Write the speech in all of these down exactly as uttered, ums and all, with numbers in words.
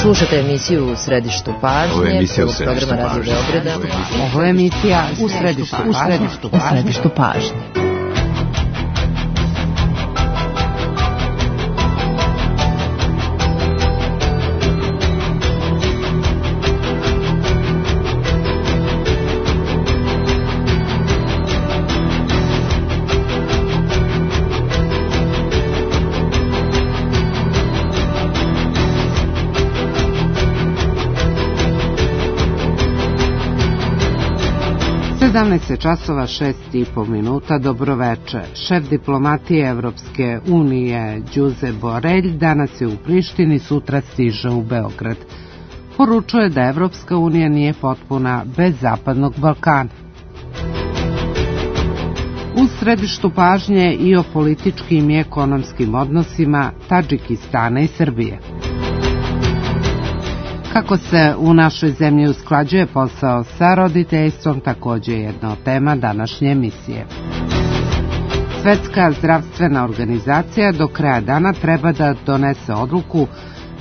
Slušate emisiju U središtu pažnje. Ovo je emisija U središtu programa pažnje. Radio Beograda. Ovo je emisija U središtu pažnje. U središtu pažnje. sedamnaest časova šest i po minuta, dobroveče. Šef diplomatije Evropske unije Josep Borrell danas je u Prištini, sutra stiže u Beograd. Poručuje da Evropska unija nije potpuna bez Zapadnog Balkana. U središtu pažnje i o političkim i ekonomskim odnosima Tadžikistana i Srbije. Kako se u našoj zemlji usklađuje posao sa roditeljstvom, također je jedna od tema današnje emisije. Svetska zdravstvena organizacija do kraja dana treba da donese odluku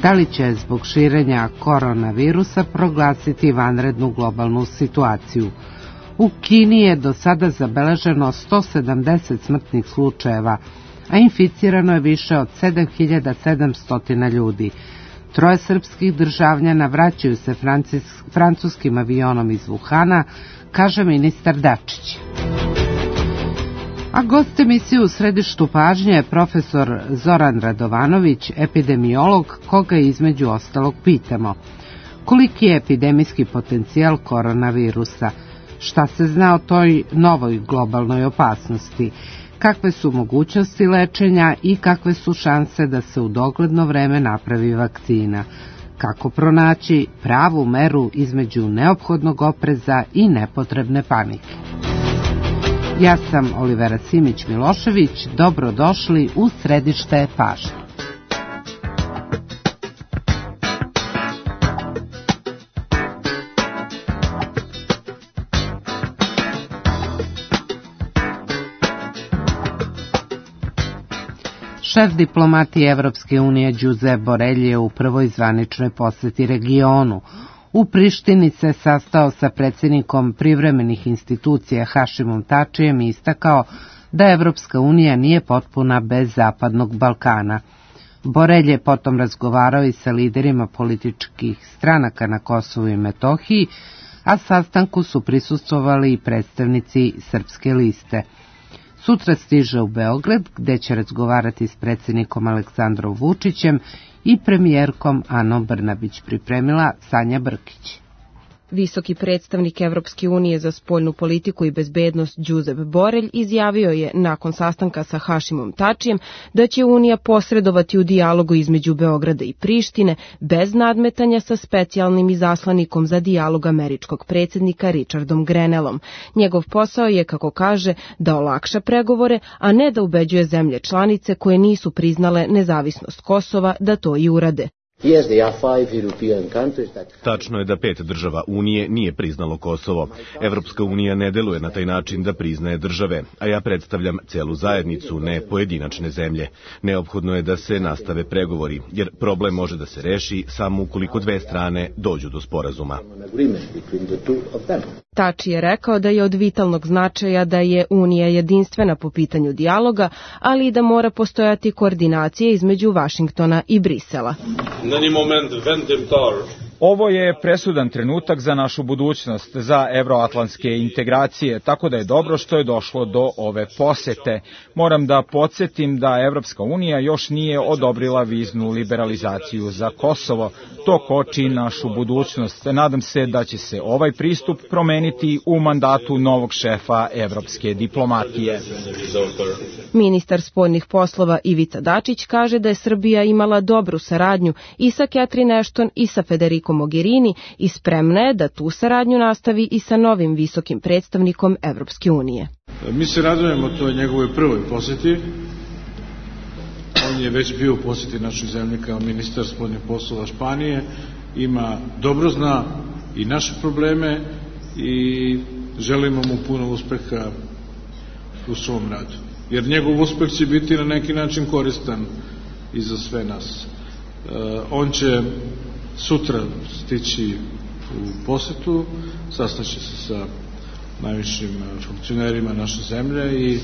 da li će zbog širenja koronavirusa proglasiti vanrednu globalnu situaciju. U Kini je do sada zabeleženo sto sedamdeset smrtnih slučajeva, a inficirano je više od sedam hiljada sedamsto ljudi. Troje srpskih državljana vraćaju se francuskim avionom iz Wuhana, kaže ministar Dačić. A gost emisije U središtu pažnje je profesor Zoran Radovanović, epidemiolog, koga između ostalog pitamo. Koliki je epidemijski potencijal koronavirusa? Šta se zna o toj novoj globalnoj opasnosti? Kakve su mogućnosti lečenja i kakve su šanse da se u dogledno vreme napravi vakcina? Kako pronaći pravu meru između neophodnog opreza i nepotrebne panike? Ja sam Olivera Simić-Milošević, dobrodošli u središte pažnje. Šef diplomatije Evropske unije Josep Borrell je u prvoj zvaničnoj poseti regionu. U Prištini se sastao sa predsjednikom privremenih institucija Hašimom Tačijem i istakao da Evropska unija nije potpuna bez Zapadnog Balkana. Borrell je potom razgovarao i sa liderima političkih stranaka na Kosovu i Metohiji, a sastanku su prisustvovali i predstavnici Srpske liste. Sutra stiže u Beograd, gde će razgovarati s predsjednikom Aleksandrom Vučićem i premijerkom Anom Brnabić, pripremila Sanja Brkić. Visoki predstavnik Evropske unije za spoljnu politiku i bezbednost Josep Borrell izjavio je nakon sastanka sa Hašimom Tačijem da će Unija posredovati u dijalogu između Beograda i Prištine bez nadmetanja sa specijalnim izaslanikom za dijalog američkog predsjednika Richardom Grenellom. Njegov posao je, kako kaže, da olakša pregovore, a ne da ubeđuje zemlje članice koje nisu priznale nezavisnost Kosova da to i urade. Tačno je da pet država Unije nije priznalo Kosovo. Evropska unija ne deluje na taj način da priznaje države, a ja predstavljam celu zajednicu, ne pojedinačne zemlje. Neophodno je da se nastave pregovori, jer problem može da se reši samo ukoliko dve strane dođu do sporazuma. Tači je rekao da je od vitalnog značaja da je Unija jedinstvena po pitanju dijaloga, ali i da mora postojati koordinacija između Vašingtona i Brisela. Ovo je presudan trenutak za našu budućnost, za evroatlantske integracije, tako da je dobro što je došlo do ove posete. Moram da podsjetim da Evropska unija još nije odobrila viznu liberalizaciju za Kosovo. To koči našu budućnost. Nadam se da će se ovaj pristup promeniti u mandatu novog šefa evropske diplomatije. Ministar spoljnih poslova Ivica Dačić kaže da je Srbija imala dobru saradnju i sa Catherine Ashton i sa Federico Mogherini i spremna je da tu saradnju nastavi i sa novim visokim predstavnikom Evropske unije. Mi se radujemo toj njegovoj prvoj poseti. On je već bio u poseti našoj zemlji kao ministar spoljnih poslova Španije. Ima, dobro zna i naše probleme i želimo mu puno uspeha u svom radu. Jer njegov uspeh će biti na neki način koristan i za sve nas. On će sutra stići u posetu, sastaće se sa najvišim funkcionerima naše zemlje i e,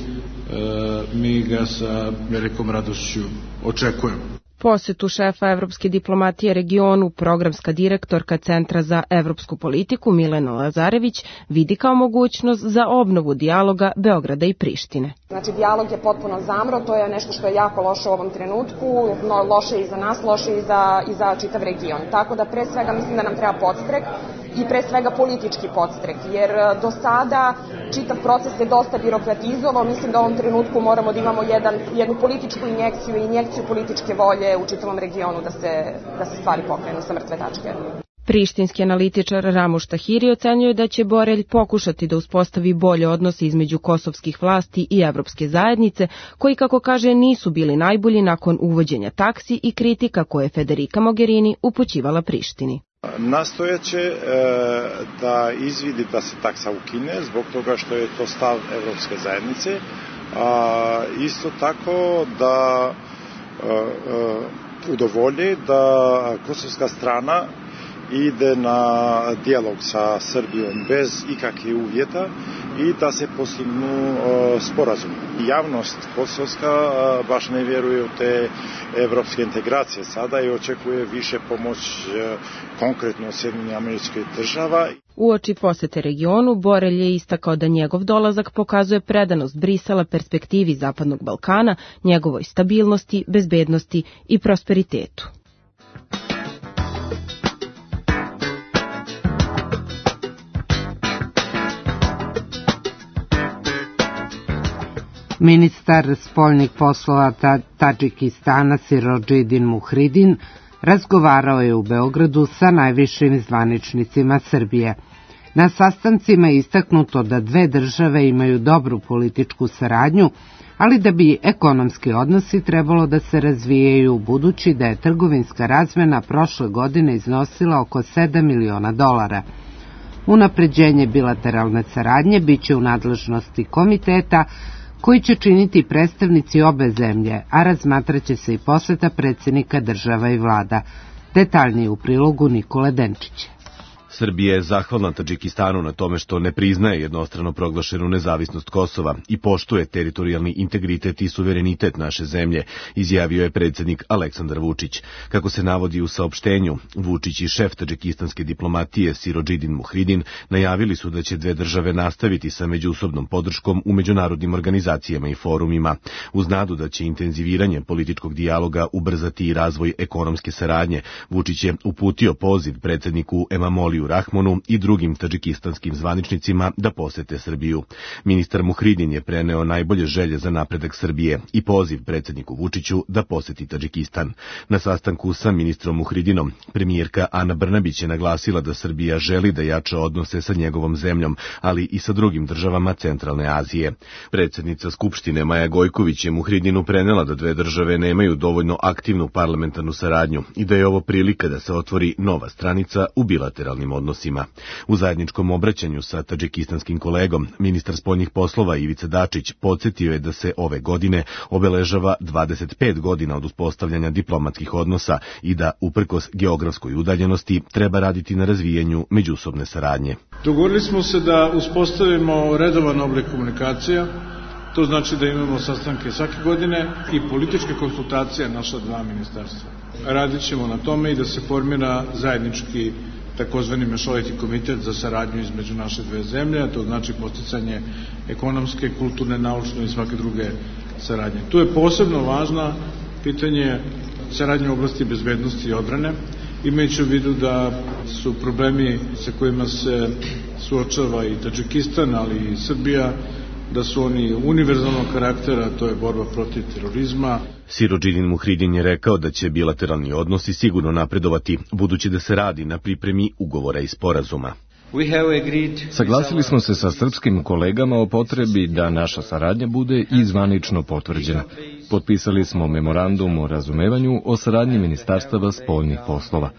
mi ga sa velikom radošću očekujemo. Posetu šefa evropske diplomatije regionu, programska direktorka Centra za evropsku politiku Milena Lazarević vidi kao mogućnost za obnovu dijaloga Beograda i Prištine. Znači, dijalog je potpuno zamro, to je nešto što je jako loše u ovom trenutku, no, loše i za nas, loše i za, i za čitav region. Tako da pre svega mislim da nam treba podstrek i pre svega politički podstrek, jer do sada čitav proces je dosta birokratizovao. Mislim da u ovom trenutku moramo da imamo jedan, jednu političku injekciju i injekciju političke volje u čitavom regionu da se, da se stvari pokrenu sa mrtve tačke. Prištinski analitičar Ramuš Tahiri ocenjuje da će Borelj pokušati da uspostavi bolje odnose između kosovskih vlasti i evropske zajednice, koji, kako kaže, nisu bili najbolji nakon uvođenja taksi i kritika koje je Federica Mogherini upućivala Prištini. Nastojaće e, da izvidi da se taksa ukine zbog toga što je to stav evropske zajednice, a isto tako da e, e, udovolji da kosovska strana ide na dijalog sa Srbijom bez ikakvih uvjeta i da se postignu uh, sporazum. Javnost kosovska uh, baš ne vjeruje u te evropske integracije sada i očekuje više pomoć uh, konkretno od Sjedinjenih Američkih Država. Uoči posete regionu, Borelj je istakao da njegov dolazak pokazuje predanost Brisela perspektivi Zapadnog Balkana, njegovoj stabilnosti, bezbednosti i prosperitetu. Ministar spoljnih poslova Tadžikistana Sirodžidin Muhridin razgovarao je u Beogradu sa najvišim zvaničnicima Srbije. Na sastancima je istaknuto da dve države imaju dobru političku saradnju, ali da bi ekonomski odnosi trebalo da se razvijaju, budući da je trgovinska razmena prošle godine iznosila oko sedam miliona dolara. Unapređenje bilateralne saradnje biće u nadležnosti komiteta koji će činiti predstavnici obe zemlje, a razmatraće se i poseta predsjednika država i vlada. Detaljnije u prilogu Nikole Denčića. Srbija je zahvalna Tadžikistanu na tome što ne priznaje jednostrano proglašenu nezavisnost Kosova i poštuje teritorijalni integritet i suverenitet naše zemlje, izjavio je predsjednik Aleksandar Vučić. Kako se navodi u saopštenju, Vučić i šef tadžikistanske diplomatije Sirodžidin Muhridin najavili su da će dve države nastaviti sa međusobnom podrškom u međunarodnim organizacijama i forumima, uz nadu da će intenziviranje političkog dijaloga ubrzati i razvoj ekonomske saradnje. Vučić je uputio poziv predsjedniku Emamoliju Rahmonu i drugim tadžikistanskim zvaničnicima da posete Srbiju. Ministar Muhridin je preneo najbolje želje za napredak Srbije i poziv predsjedniku Vučiću da poseti Tadžikistan. Na sastanku sa ministrom Muhridinom, premijerka Ana Brnabić je naglasila da Srbija želi da jača odnose sa njegovom zemljom, ali i sa drugim državama Centralne Azije. Predsjednica Skupštine Maja Gojković je Muhridinu prenela da dve države nemaju dovoljno aktivnu parlamentarnu saradnju i da je ovo prilika da se otvori nova stranica u bilateralnim odnosima. U zajedničkom obraćanju sa tadžikistanskim kolegom, ministar spoljnih poslova Ivica Dačić podsjetio je da se ove godine obeležava dvadeset pet godina od uspostavljanja diplomatskih odnosa i da, uprkos geografskoj udaljenosti, treba raditi na razvijanju međusobne saradnje. Dogovorili smo se da uspostavimo redovan oblik komunikacija, to znači da imamo sastanke svake godine i političke konsultacije naša dva ministarstva. Radit ćemo na tome i da se formira zajednički takozvani mešoviti komitet za saradnju između naše dve zemlje, a to znači posticanje ekonomske, kulturne, naučne i svake druge saradnje. Tu je posebno važna pitanje saradnje u oblasti bezbednosti i odbrane, imajući u vidu da su problemi sa kojima se suočava i Tadžikistan, ali i Srbija, da su oni univerzalnog karaktera, to je borba protiv terorizma. Sirodžidin Muhridin je rekao da će bilateralni odnosi sigurno napredovati, budući da se radi na pripremi ugovora i sporazuma. Saglasili smo se sa srpskim kolegama o potrebi da naša saradnja bude i zvanično potvrđena. Potpisali smo memorandum o razumevanju o saradnji ministarstava spoljnih poslova.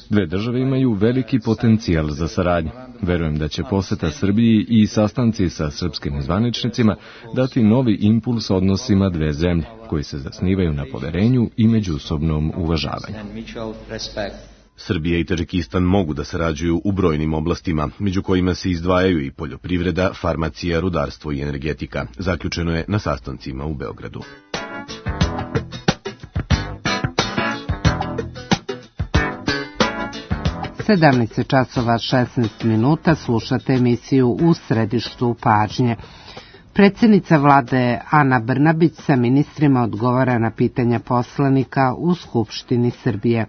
Dve države imaju veliki potencijal za saradnju. Verujem da će poseta Srbiji i sastanci sa srpskim zvaničnicima dati novi impuls odnosima dve zemlje, koji se zasnivaju na poverenju i međusobnom uvažavanju. Srbija i Tadžikistan mogu da sarađuju u brojnim oblastima, među kojima se izdvajaju i poljoprivreda, farmacija, rudarstvo i energetika. Zaključeno je na sastancima u Beogradu. sedamnaest časova šesnaest minuta, slušate emisiju U središtu pažnje. Predsjednica vlade Ana Brnabić sa ministrima odgovara na pitanja poslanika u Skupštini Srbije.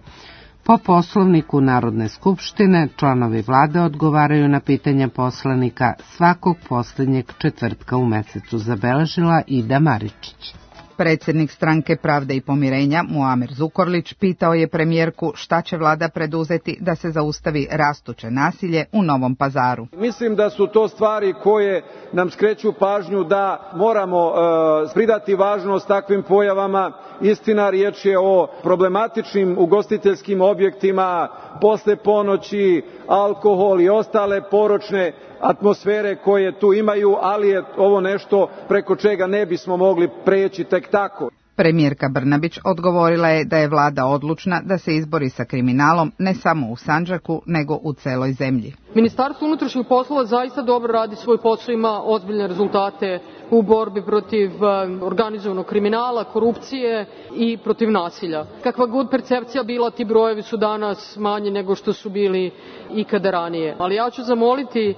Po Poslovniku Narodne skupštine, članovi vlade odgovaraju na pitanja poslanika svakog posljednjeg četvrtka u mesecu, zabeležila Ida Maričić. Predsjednik Stranke Pravde i pomirenja, Muamer Zukorlić, pitao je premijerku šta će vlada preduzeti da se zaustavi rastuće nasilje u Novom Pazaru. Mislim da su to stvari koje nam skreću pažnju da moramo e, pridati važnost takvim pojavama. Istina, riječ je o problematičnim ugostiteljskim objektima, posle ponoći, alkohol i ostale poročne atmosfere koje tu imaju, ali je ovo nešto preko čega ne bismo mogli preći tek tako. Premijerka Brnabić odgovorila je da je vlada odlučna da se izbori sa kriminalom ne samo u Sandžaku, nego u celoj zemlji. Ministarstvo unutrašnjih poslova zaista dobro radi svoj posao, ima ozbiljne rezultate u borbi protiv organizovanog kriminala, korupcije i protiv nasilja. Kakva god percepcija bila, ti brojevi su danas manji nego što su bili ikada ranije. Ali ja ću zamoliti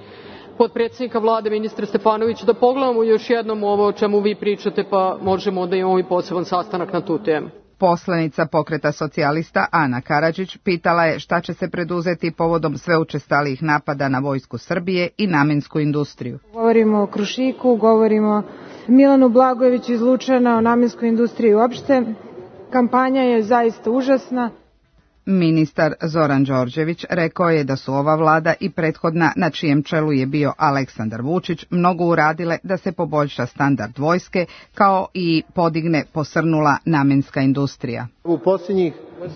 potpredsjednika vlade, ministra Stefanovića, da pogledamo još jednom ovo o čemu vi pričate, pa možemo da imamo i poseban sastanak na tu temu. Poslanica Pokreta socijalista Ana Karadžić pitala je šta će se preduzeti povodom sve učestalijih napada na vojsku Srbije i namensku industriju. Govorimo o Krušiku, govorimo o Milanu Blagojeviću iz Lučana, o namenskoj industriji uopšte. Kampanja je zaista užasna. Ministar Zoran Đorđević rekao je da su ova vlada i prethodna, na čijem čelu je bio Aleksandar Vučić, mnogo uradile da se poboljša standard vojske, kao i podigne posrnula namenska industrija. U posljednjih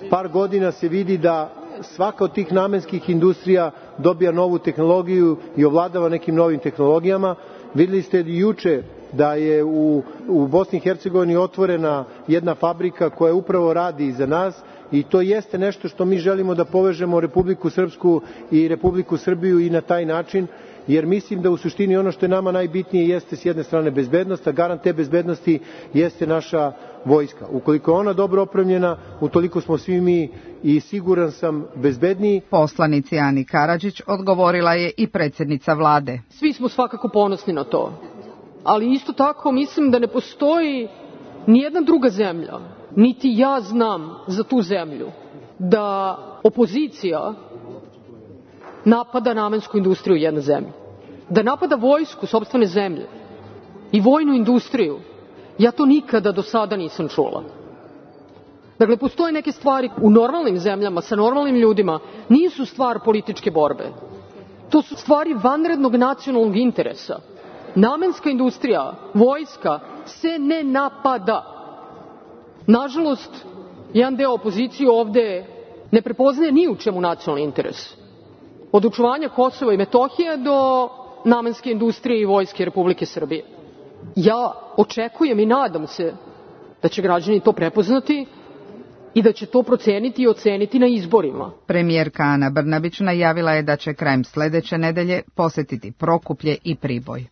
par godina se vidi da svaka od tih namenskih industrija dobija novu tehnologiju i ovladava nekim novim tehnologijama. Vidjeli ste juče da je u, u Bosni i Hercegovini otvorena jedna fabrika koja upravo radi za nas, i to jeste nešto što mi želimo da povežemo Republiku Srpsku i Republiku Srbiju i na taj način, jer mislim da u suštini ono što je nama najbitnije jeste s jedne strane bezbednost, a garant te bezbednosti jeste naša vojska. Ukoliko je ona dobro opremljena, utoliko smo svi mi i siguran sam bezbedniji. Poslanici Ani Karadžić odgovorila je i predsjednica vlade. Svi smo svakako ponosni na to, ali isto tako mislim da ne postoji nijedna druga zemlja, niti ja znam za tu zemlju, da opozicija napada namensku industriju jedne zemlje, da napada vojsku sopstvene zemlje i vojnu industriju. Ja to nikada do sada nisam čula. Dakle, postoje neke stvari u normalnim zemljama, sa normalnim ljudima, nisu stvar političke borbe. To su stvari vanrednog nacionalnog interesa. Namenska industrija, vojska se ne napada. Nažalost, jedan deo opozicije ovde ne prepoznaje ni u čemu nacionalni interes. Od očuvanja Kosova i Metohije do namenske industrije i vojske Republike Srbije. Ja očekujem i nadam se da će građani to prepoznati i da će to proceniti i oceniti na izborima. Premijerka Ana Brnabić najavila je da će krajem sledeće nedelje posetiti Prokuplje i Priboj.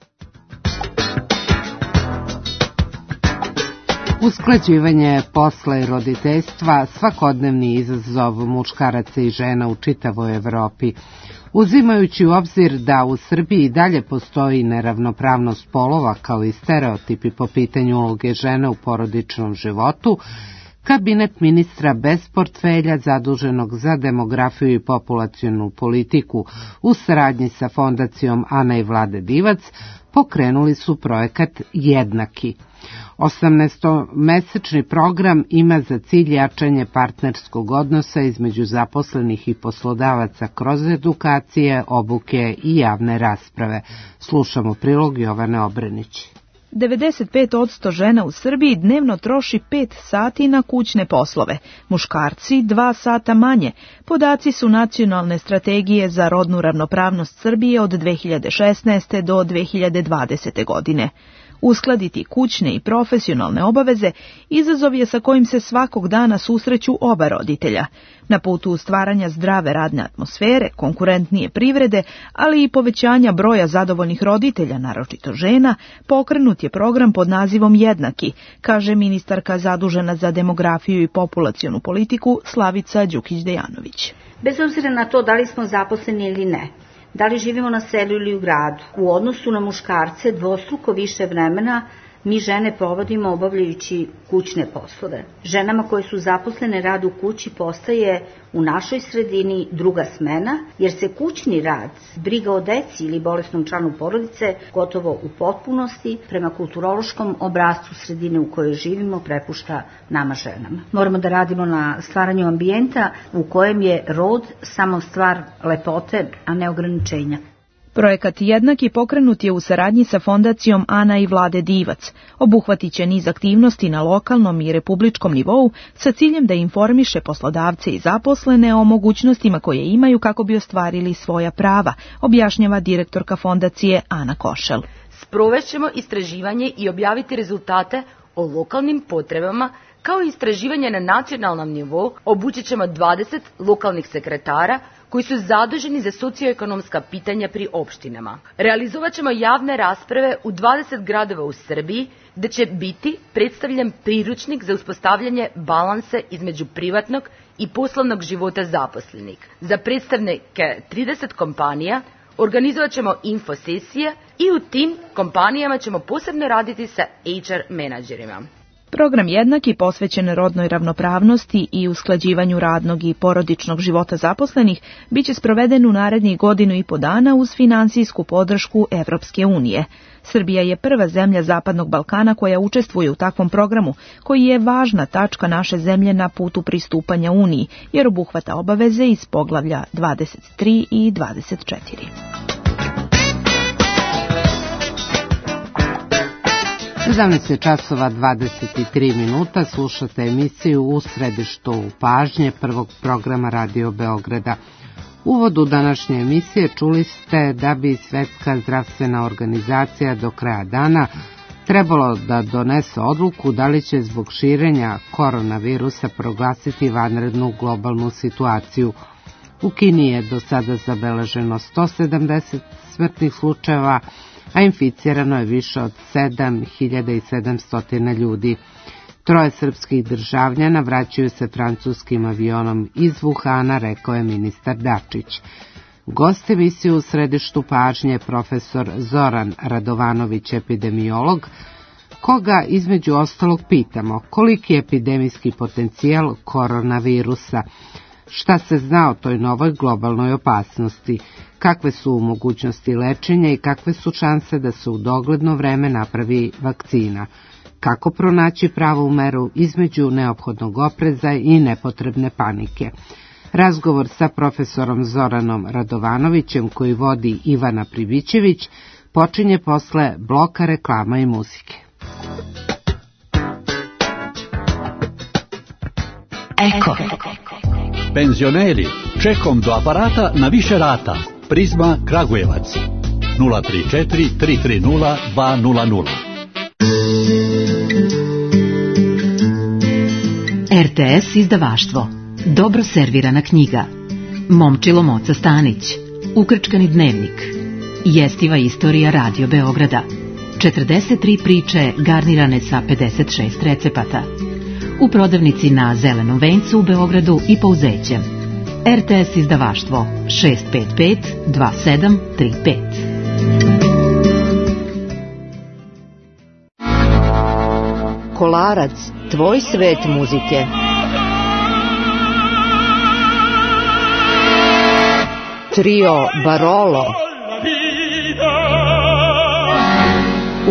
Usklađivanje posla i roditeljstva svakodnevni izazov muškaraca i žena u čitavoj Evropi. Uzimajući u obzir da u Srbiji dalje postoji neravnopravnost polova kao i stereotipi po pitanju uloge žene u porodičnom životu, Kabinet ministra bez portfelja zaduženog za demografiju i populacionu politiku u saradnji sa fondacijom Ana i Vlade Divac pokrenuli su projekat Jednaki. osamnaestomesečni program ima za cilj jačanje partnerskog odnosa između zaposlenih i poslodavaca kroz edukacije, obuke i javne rasprave. Slušamo prilog Jovane Obrenić. devedeset pet posto žena u Srbiji dnevno troši pet sati na kućne poslove, muškarci dva sata manje. Podaci su Nacionalne strategije za rodnu ravnopravnost Srbije od dve hiljade šesnaeste do dve hiljade dvadesete godine. Uskladiti kućne i profesionalne obaveze izazov je sa kojim se svakog dana susreću oba roditelja. Na putu stvaranja zdrave radne atmosfere, konkurentnije privrede, ali i povećanja broja zadovoljnih roditelja, naročito žena, pokrenut je program pod nazivom Jednaki, kaže ministarka zadužena za demografiju i populacionu politiku Slavica Đukić-Dejanović. Bez obzira na to da li smo zaposleni ili ne, da li živimo na selu ili u gradu, u odnosu na muškarce dvostruko više vremena mi žene provodimo obavljajući kućne poslove. Ženama koje su zaposlene rad u kući postaje u našoj sredini druga smena, jer se kućni rad, briga o deci ili bolesnom članu porodice gotovo u potpunosti prema kulturološkom obrascu sredine u kojoj živimo prepušta nama ženama. Moramo da radimo na stvaranju ambijenta u kojem je rod samo stvar lepote, a ne ograničenja. Projekat Jednaki pokrenut je u saradnji sa fondacijom Ana i Vlade Divac. Obuhvatit će niz aktivnosti na lokalnom i republičkom nivou sa ciljem da informiše poslodavce i zaposlene o mogućnostima koje imaju kako bi ostvarili svoja prava, objašnjava direktorka fondacije Ana Košel. Sprovešćemo istraživanje i objaviti rezultate o lokalnim potrebama, kao i istraživanje na nacionalnom nivou. Obučit ćemo dvadeset lokalnih sekretara koji su zaduženi za socioekonomska pitanja pri opštinama. Realizovat ćemo javne rasprave u dvadeset gradova u Srbiji, gde će biti predstavljen priručnik za uspostavljanje balansa između privatnog i poslovnog života zaposlenih. Za predstavnike trideset kompanija organizovat ćemo infosesije i u tim kompanijama ćemo posebno raditi sa H R menadžerima. Program Jednaki posvećen rodnoj ravnopravnosti i usklađivanju radnog i porodičnog života zaposlenih biće sproveden u narednih godinu i po dana uz finansijsku podršku Evropske unije. Srbija je prva zemlja Zapadnog Balkana koja učestvuje u takvom programu, koji je važna tačka naše zemlje na putu pristupanja Uniji, jer obuhvata obaveze iz poglavlja dvadeset tri i dvadeset četiri. sedamnaest časova dvadeset tri minuta, slušate emisiju U središtu pažnje prvog programa Radio Beograda. U uvodu današnje emisije čuli ste da bi Svetska zdravstvena organizacija do kraja dana trebalo da donese odluku da li će zbog širenja koronavirusa proglasiti vanrednu globalnu situaciju. U Kini je do sada zabeleženo sto sedamdeset smrtnih slučajeva, a inficirano je više od sedam hiljada sedamsto ljudi. Troje srpskih državljana vraćaju se francuskim avionom iz Wuhana, rekao je ministar Dačić. Gost emisije U središtu pažnje je profesor Zoran Radovanović, epidemiolog, koga između ostalog pitamo koliki je epidemijski potencijal koronavirusa, šta se zna o toj novoj globalnoj opasnosti, kakve su mogućnosti lečenja i kakve su šanse da se u dogledno vreme napravi vakcina, kako pronaći pravu meru između neophodnog opreza i nepotrebne panike. Razgovor sa profesorom Zoranom Radovanovićem, koji vodi Ivana Pribićević, počinje posle bloka reklama i muzike. Eko. Penzioneri, čekom do aparata na više rata. Prizma Kragujevac nula tri četiri tri tri nula dva nula nula. R T S izdavaštvo. Dobro servirana knjiga. Momčilo Moca Stanić. Ukrčkani dnevnik. Jestiva istorija Radio Beograda. četrdeset tri priče garnirane sa pedeset šest recepata. U prodavnici na Zelenom vencu u Beogradu i Pouzećem. R T S izdavaštvo šest pet pet dva sedam tri pet. Kolarac, tvoj svet muzike. Trio Barolo.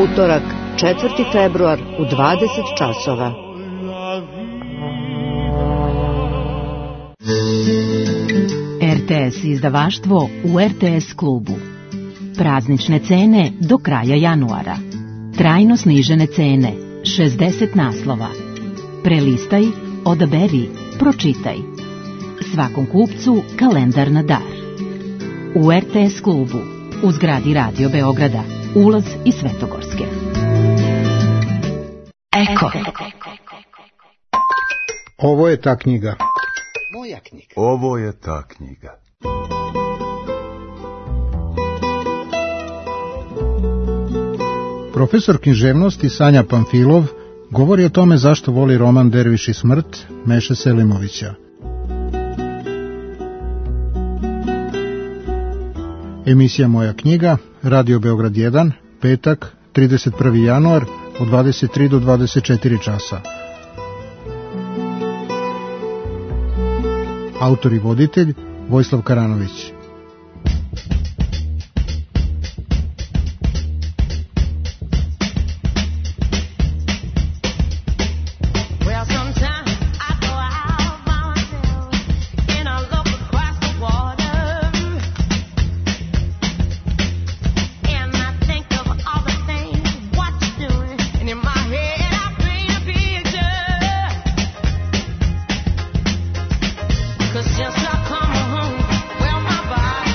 Utorak, četvrti februar u dvadeset časova. R T S izdavaštvo u R T S klubu. Praznične cene do kraja januara. Trajno snižene cene, šezdeset naslova. Prelistaj, odaberi, pročitaj. Svakom kupcu kalendar na dar. U R T S klubu, u zgradi Radio Beograda, ulaz iz Svetogorske. Eko. Ovo je ta knjiga. Moja knjiga. Ovo je ta knjiga. Profesor književnosti Sanja Pamfilov govori o tome zašto voli roman Derviš i smrt Meše Selimovića. Emisija Moja knjiga, Radio Beograd jedan, petak, trideset prvi januar, od dvadeset tri do dvadeset četiri časa. Autor i voditelj Vojislav Karanović. Just I come home, well my body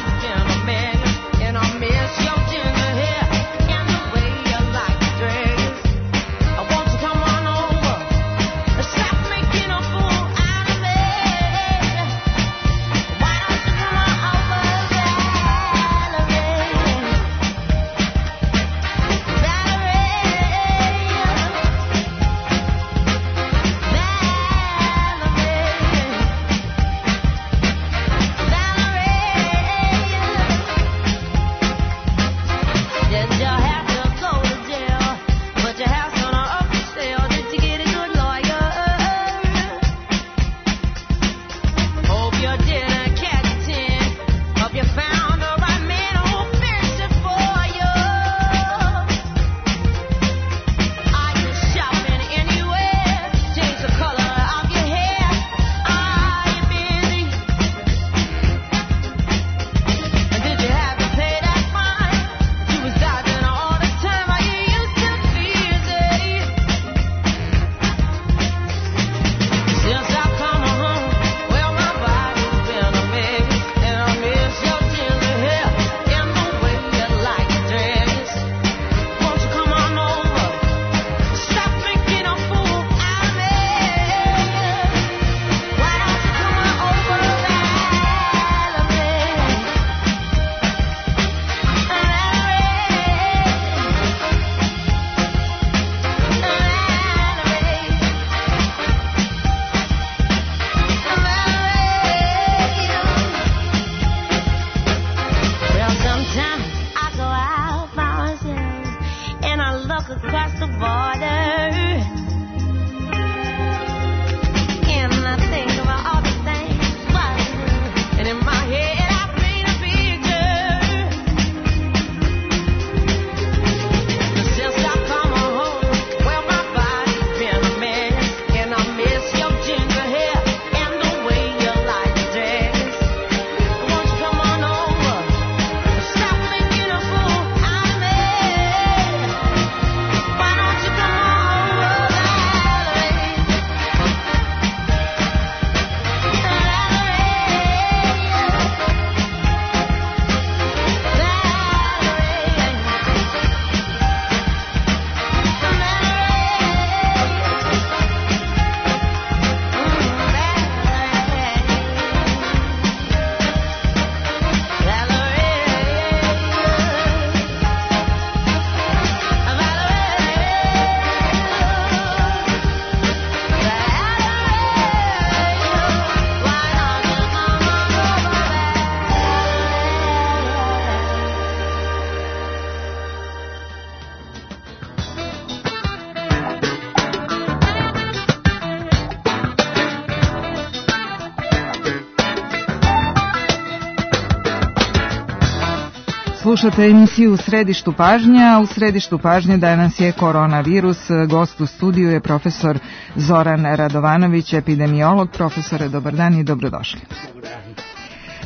Slušate emisiju U središtu pažnja. U središtu pažnje danas je koronavirus. Gost u studiju je profesor Zoran Radovanović, epidemiolog. Profesore, dobar dan i dobrodošli.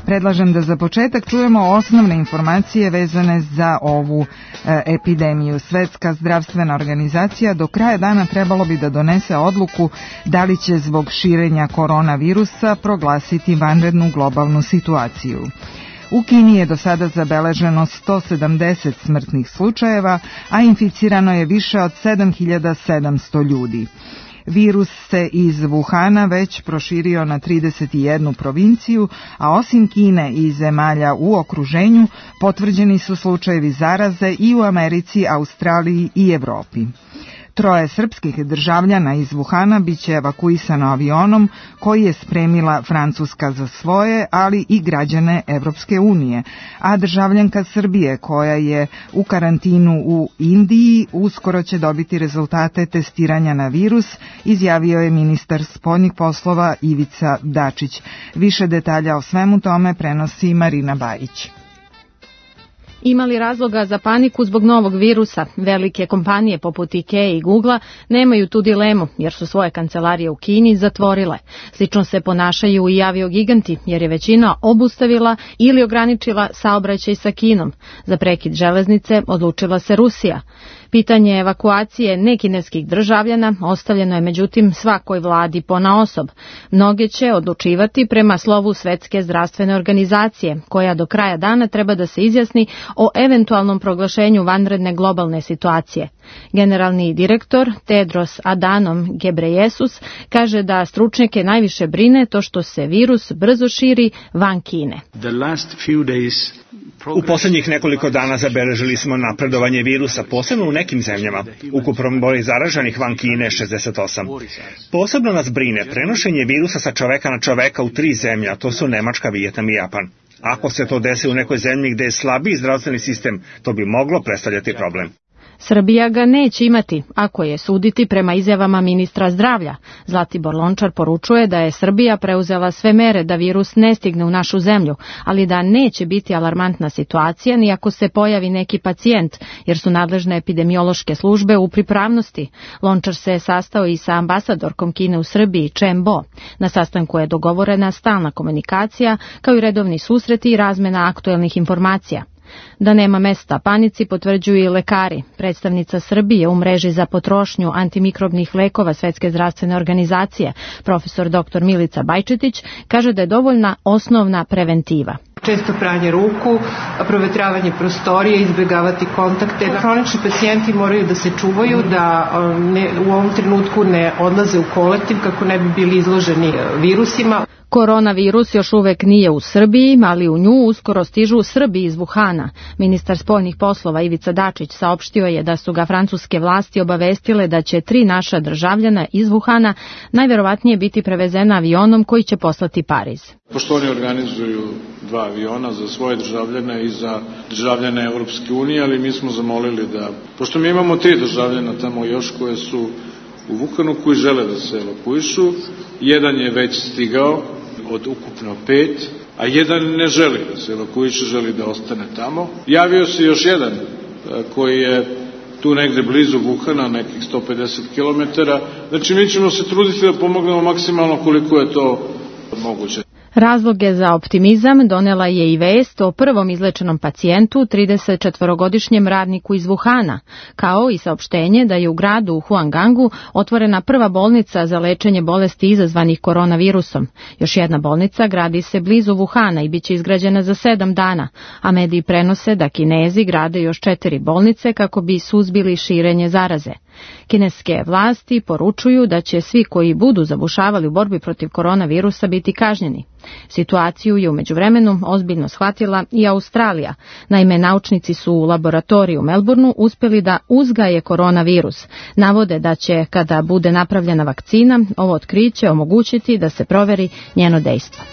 Predlažem da za početak čujemo osnovne informacije vezane za ovu e, epidemiju. Svetska zdravstvena organizacija do kraja dana trebalo bi da donese odluku da li će zbog širenja koronavirusa proglasiti vanrednu globalnu situaciju. U Kini je do sada zabeleženo sto sedamdeset smrtnih slučajeva, a inficirano je više od sedam hiljada sedamsto ljudi. Virus se iz Wuhana već proširio na trideset jednu provinciju, a osim Kine i zemalja u okruženju potvrđeni su slučajevi zaraze i u Americi, Australiji i Evropi. Troje srpskih državljana iz Wuhana biće evakuisano avionom koji je spremila Francuska za svoje, ali i građane Evropske unije, a državljanka Srbije koja je u karantinu u Indiji uskoro će dobiti rezultate testiranja na virus, izjavio je ministar spoljnih poslova Ivica Dačić. Više detalja o svemu tome prenosi Marina Bajić. Ima li razloga za paniku zbog novog virusa? Velike kompanije poput Ikea i Googlea nemaju tu dilemu jer su svoje kancelarije u Kini zatvorile. Slično se ponašaju i aviogiganti jer je većina obustavila ili ograničila saobraćaj sa Kinom. Za prekid železnice odlučila se Rusija. Pitanje evakuacije nekineskih državljana ostavljeno je međutim svakoj vladi ponaosob. Mnoge će odlučivati prema slovu Svetske zdravstvene organizacije, koja do kraja dana treba da se izjasni o eventualnom proglašenju vanredne globalne situacije. Generalni direktor Tedros Adhanom Ghebreyesus kaže da stručnjake najviše brine to što se virus brzo širi van Kine. U posljednjih nekoliko dana zabeležili smo napredovanje virusa, posebno u nekim zemljama. Ukupan broj zaraženih van Kine je šezdeset osam. Posebno nas brine prenošenje virusa sa čoveka na čoveka u tri zemlje, a to su Nemačka, Vijetnam i Japan. Ako se to desi u nekoj zemlji gde je slabiji zdravstveni sistem, to bi moglo predstavljati problem. Srbija ga neće imati, ako je suditi prema izjavama ministra zdravlja. Zlatibor Lončar poručuje da je Srbija preuzela sve mere da virus ne stigne u našu zemlju, ali da neće biti alarmantna situacija ni ako se pojavi neki pacijent, jer su nadležne epidemiološke službe u pripravnosti. Lončar se sastao i sa ambasadorkom Kine u Srbiji, Chen Bo. Na sastanku je dogovorena stalna komunikacija, kao i redovni susreti i razmena aktuelnih informacija. Da nema mesta panici potvrđuju i lekari. Predstavnica Srbije u mreži za potrošnju antimikrobnih lekova Svetske zdravstvene organizacije, profesor doktor Milica Bajčetić, kaže da je dovoljna osnovna preventiva. Često pranje ruku, provetravanje prostorije, izbjegavati kontakte. Hronični pacijenti moraju da se čuvaju, da ne, u ovom trenutku ne odlaze u kolektiv kako ne bi bili izloženi virusima. Koronavirus još uvek nije u Srbiji, ali u nju uskoro stižu Srbi iz Wuhana. Ministar spoljnih poslova Ivica Dačić saopštio je da su ga francuske vlasti obavestile da će tri naša državljana iz Wuhana najverovatnije biti prevezena avionom koji će poslati Pariz. Pošto oni organizuju dva aviona za svoje državljane i za državljane Evropske unije, ali mi smo zamolili da, pošto mi imamo tri državljana tamo još koje su u Wuhanu koji žele da se evakuišu, jedan je već stigao od ukupno pet, a jedan ne želi da se evakuiše, želi da ostane tamo. Javio se još jedan koji je tu negde blizu Wuhana, nekih sto pedeset kilometara. Znači mi ćemo se truditi da pomognemo maksimalno koliko je to moguće. Razloge za optimizam donela je i vest o prvom izlečenom pacijentu, tridesetčetvorogodišnjem radniku iz Wuhana, kao i saopštenje da je u gradu u Huangangu otvorena prva bolnica za lečenje bolesti izazvanih koronavirusom. Još jedna bolnica gradi se blizu Wuhana i biće izgrađena za sedam dana, a mediji prenose da Kinezi grade još četiri bolnice kako bi suzbili širenje zaraze. Kineske vlasti poručuju da će svi koji budu zabušavali u borbi protiv koronavirusa biti kažnjeni. Situaciju je u međuvremenu ozbiljno shvatila i Australija. Naime, naučnici su u laboratoriju u Melbourneu uspjeli da uzgaje koronavirus. Navode da će, kada bude napravljena vakcina, ovo otkriće omogućiti da se proveri njeno dejstvo.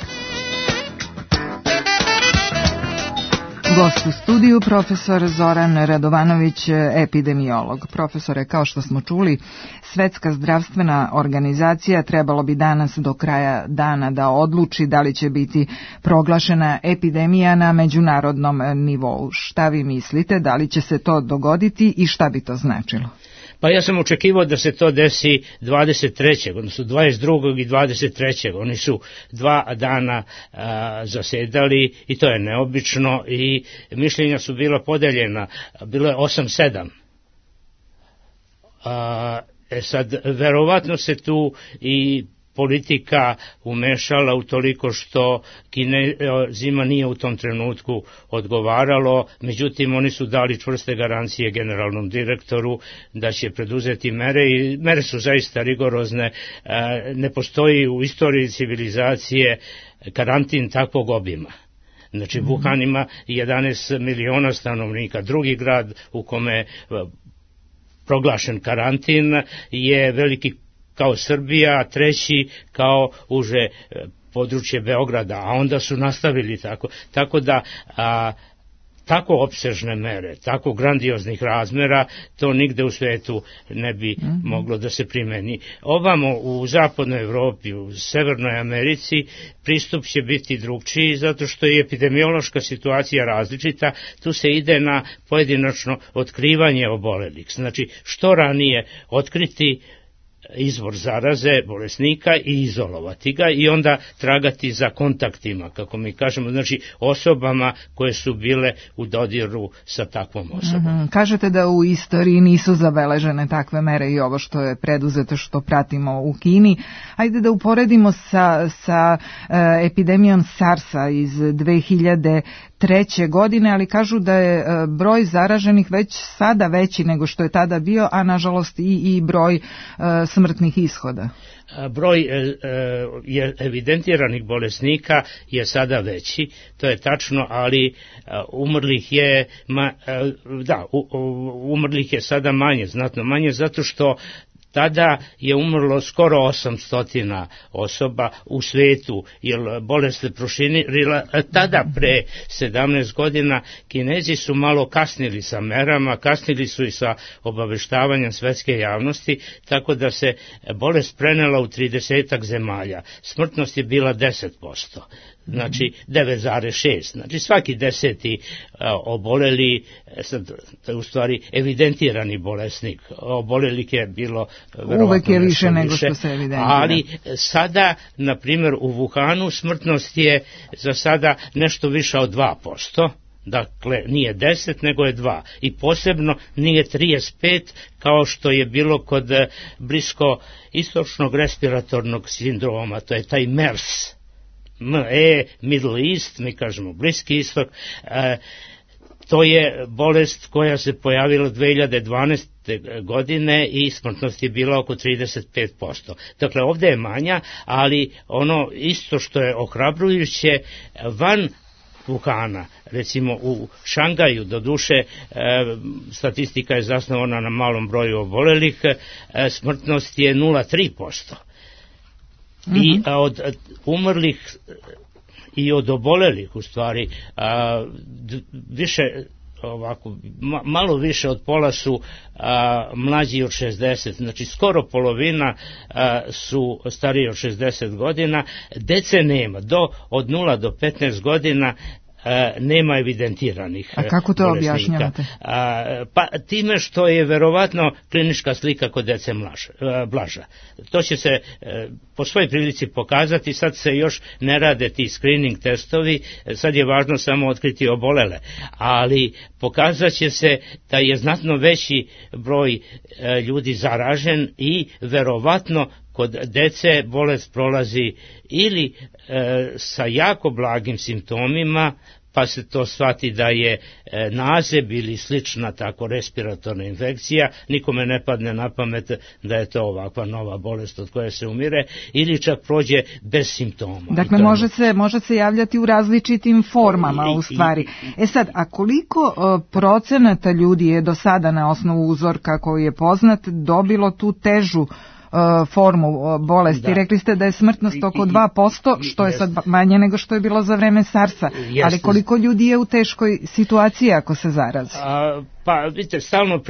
Gost u studiju, profesor Zoran Radovanović, epidemiolog. Profesore, kao što smo čuli, Svetska zdravstvena organizacija trebalo bi danas do kraja dana da odluči da li će biti proglašena epidemija na međunarodnom nivou. Šta vi mislite, da li će se to dogoditi i šta bi to značilo? Pa ja sam očekivao da se to desi dvadeset trećeg odnosno dvadeset drugog i dvadeset trećeg Oni su dva dana a, zasedali i to je neobično i mišljenja su bila podeljena. Bilo je osam sedam. A, e sad, verovatno se tu i politika umešala utoliko što Kinezima nije u tom trenutku odgovaralo, međutim oni su dali čvrste garancije generalnom direktoru da će preduzeti mere i mere su zaista rigorozne. Ne postoji u istoriji civilizacije karantin takvog obima. Znači Wuhan ima jedanaest miliona stanovnika, drugi grad u kome je proglašen karantin je veliki kao Srbija, a treći kao uže područje Beograda, a onda su nastavili tako. Tako da a, tako opsežne mere, tako grandioznih razmera, to nigde u svetu ne bi mm-hmm. moglo da se primeni. Ovamo u zapadnoj Evropi, u Severnoj Americi, pristup će biti drugčiji, zato što je epidemiološka situacija različita, tu se ide na pojedinačno otkrivanje obolelih. Znači, što ranije otkriti izvor zaraze bolesnika i izolovati ga i onda tragati za kontaktima, kako mi kažemo, znači osobama koje su bile u dodiru sa takvom osobom. Mm-hmm. Kažete da u istoriji nisu zabeležene takve mere i ovo što je preduzeto, što pratimo u Kini. Ajde da uporedimo sa, sa uh, epidemijom SARS-a iz dve hiljade treće godine, ali kažu da je uh, broj zaraženih već sada veći nego što je tada bio, a nažalost i, i broj uh, smrtnih ishoda. Broj e, je evidentiranih bolesnika je sada veći, to je tačno, ali e, umrlih je ma, e, da, u, umrlih je sada manje, znatno manje, zato što tada je umrlo skoro osamsto osoba u svetu, jer bolest se proširila. Tada pre sedamnaest godina Kinezi su malo kasnili sa merama, kasnili su i sa obaveštavanjem svetske javnosti, tako da se bolest prenela u tridesetak zemalja. Smrtnost je bila deset posto. Znači devet zarez šest, znači svaki deseti a, oboleli, sad, u stvari evidentirani bolesnik, obolelih je bilo uvek je više nego što se evidentira. Ali sada, na primjer, u Wuhanu smrtnost je za sada nešto više od dva posto, dakle nije deset nego je dva, i posebno nije trideset pet kao što je bilo kod blisko istočnog respiratornog sindroma, to je taj MERS. M E, Middle East, mi kažemo Bliski istok, e, to je bolest koja se pojavila dve hiljade dvanaeste. godine i smrtnost je bila oko trideset pet posto. Dakle, ovdje je manja, ali ono isto što je ohrabrujuće, van Wuhana, recimo u Šangaju, doduše e, statistika je zasnovana na malom broju obolelih, e, smrtnost je nula zarez tri posto. I a, od a, umrlih i od obolelih u stvari a, d, više ovako ma, malo više od pola su a, mlađi od šezdeset, znači skoro polovina a, su stariji od šezdeset godina, dece nema, do od nula do petnaest godina nema evidentiranih bolesnika. A kako to objašnjavate? A, pa time što je verovatno klinička slika kod dece mlaža, blaža. To će se po svojoj prilici pokazati, sad se još ne rade ti screening testovi, sad je važno samo otkriti obolele, ali pokazat će se da je znatno veći broj ljudi zaražen i verovatno kod dece bolest prolazi ili e, sa jako blagim simptomima, pa se to shvati da je e, nazeb ili slična tako respiratorna infekcija, nikome ne padne na pamet da je to ovakva nova bolest od koje se umire, ili čak prođe bez simptoma. Dakle, može se, može se javljati u različitim formama u stvari. E sad, a koliko o, procenata ljudi je do sada na osnovu uzorka koji je poznat dobilo tu težu formu bolesti? Da. Rekli ste da je smrtnost oko dva posto, što je sad manje nego što je bilo za vreme SARS-a. Ali koliko ljudi je u teškoj situaciji ako se zarazi? A, pa vidite, stalno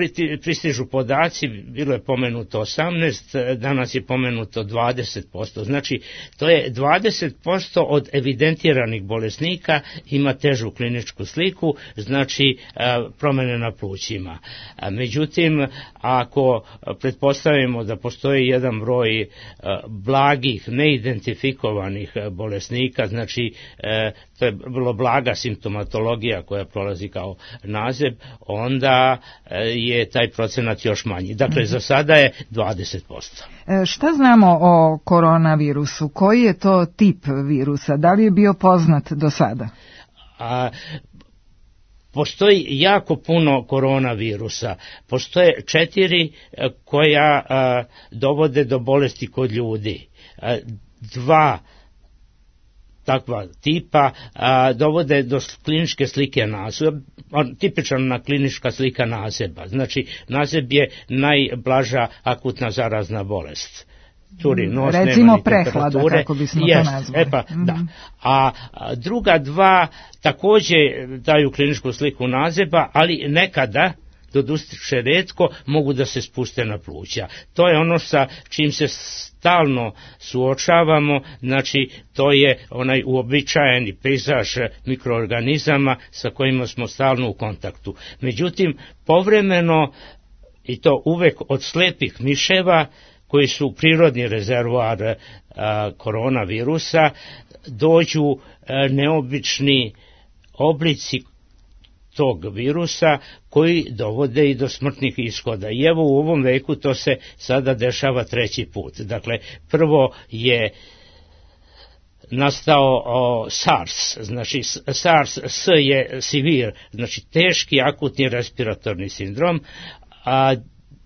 pristižu podaci, bilo je pomenuto osamnaest, danas je pomenuto dvadeset posto. Znači, to je dvadeset posto od evidentiranih bolesnika ima težu kliničku sliku, znači a, promjene na plućima. A, međutim, ako pretpostavimo da postoji jedan broj a, blagih, neidentifikovanih bolesnika, znači a, to je vrlo blaga simptomatologija koja prolazi kao nazeb, onda onda je taj procenat još manji. Dakle, mm-hmm. za sada je dvadeset posto. E, šta znamo o koronavirusu? Koji je to tip virusa? Da li je bio poznat do sada? A, postoji jako puno koronavirusa. Postoje četiri koja a, dovode do bolesti kod ljudi. A, dva takva tipa a, dovode do kliničke slike nazeba, tipična klinička slika nazeba. Znači, nazeb je najblaža akutna zarazna bolest. Curi nos, recimo prehlada, kako bismo Jest, to nazvali. E pa, mm-hmm. da. A, a druga dva takođe daju kliničku sliku nazeba, ali nekada, doduše retko, mogu da se spuste na pluća. To je ono sa čim se stalno suočavamo, znači to je onaj uobičajeni pejzaž mikroorganizama sa kojima smo stalno u kontaktu. Međutim, povremeno, i to uvek od slepih miševa, koji su prirodni rezervoar a, koronavirusa, dođu a, neobični oblici tog virusa koji dovode i do smrtnih ishoda. I evo u ovom veku to se sada dešava treći put. Dakle, prvo je nastao o, SARS, znači SARS, S je severe, znači teški akutni respiratorni sindrom, a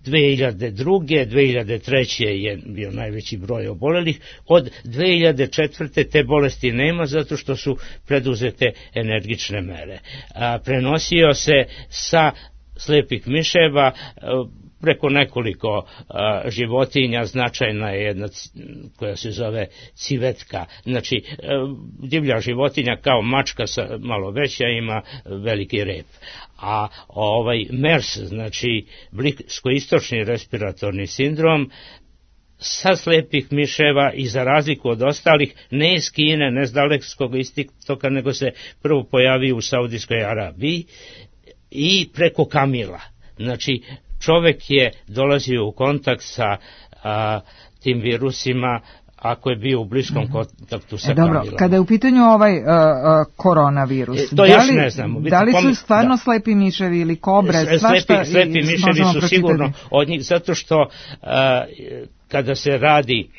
dve hiljade druge. dve hiljade treće je bio najveći broj obolelih. Od dve hiljade četvrte te bolesti nema zato što su preduzete energične mere. A, prenosio se sa slepih miševa preko nekoliko a, životinja. Značajna je jedna koja se zove civetka. Znači, a, divlja životinja kao mačka sa malo veća ima veliki rep. A ovaj MERS, znači bliskoistočni respiratorni sindrom, sa slepih miševa i za razliku od ostalih, ne iz Kine, ne iz dalekog istoka, nego se prvo pojavio u Saudijskoj Arabiji i preko kamila. Znači, čovek je dolazio u kontakt sa a, tim virusima ako je bio u bliskom kontaktu sa e, dobro, kamilama. Kada je u pitanju ovaj uh, uh, koronavirus, e, to da, još li, ne znamo. da li su stvarno da. slepi miševi ili kobre, svašta slepi, slepi miševi su sigurno od njih, zato što uh, kada se radi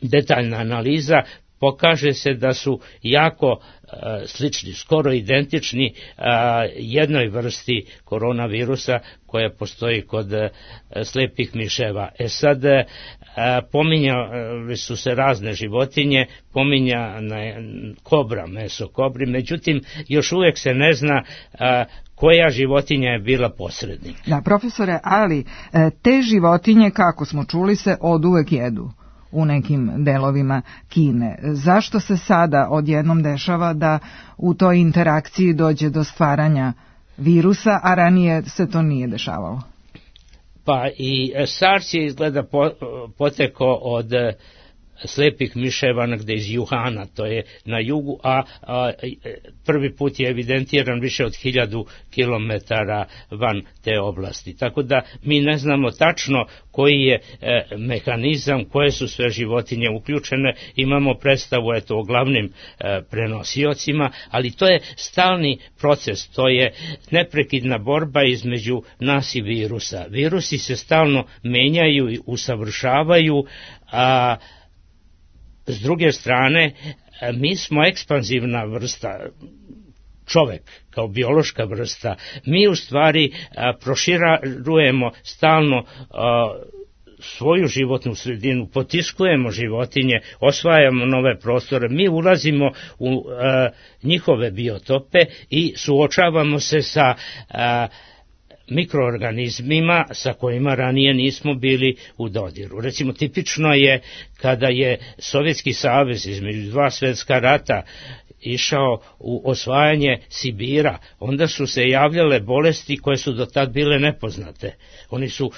detaljna analiza, pokaže se da su jako uh, slični, skoro identični uh, jednoj vrsti koronavirusa koja postoji kod uh, slepih miševa. E sad, uh, pominjali su se razne životinje, pominja kobra, meso kobri, međutim, još uvijek se ne zna uh, koja životinja je bila posrednik. Da, profesore, ali te životinje, kako smo čuli, se od uvek jedu u nekim delovima Kine. Zašto se sada odjednom dešava da u toj interakciji dođe do stvaranja virusa, a ranije se to nije dešavalo? Pa i SARS je izgleda potekao od slepih miševa negde iz Juhana, to je na jugu, a, a prvi put je evidentiran više od hiljadu kilometara van te oblasti. Tako da mi ne znamo tačno koji je e, mehanizam, koje su sve životinje uključene, imamo predstavu eto o glavnim e, prenosiocima, ali to je stalni proces, to je neprekidna borba između nas i virusa. Virusi se stalno menjaju i usavršavaju, a s druge strane, mi smo ekspanzivna vrsta, čovek kao biološka vrsta, mi u stvari a, proširujemo stalno a, svoju životnu sredinu, potiskujemo životinje, osvajamo nove prostore, mi ulazimo u a, njihove biotope i suočavamo se sa a, mikroorganizmima sa kojima ranije nismo bili u dodiru. Recimo, tipično je kada je Sovjetski savez između dva svjetska rata išao u osvajanje Sibira, onda su se javljale bolesti koje su do tad bile nepoznate. Oni su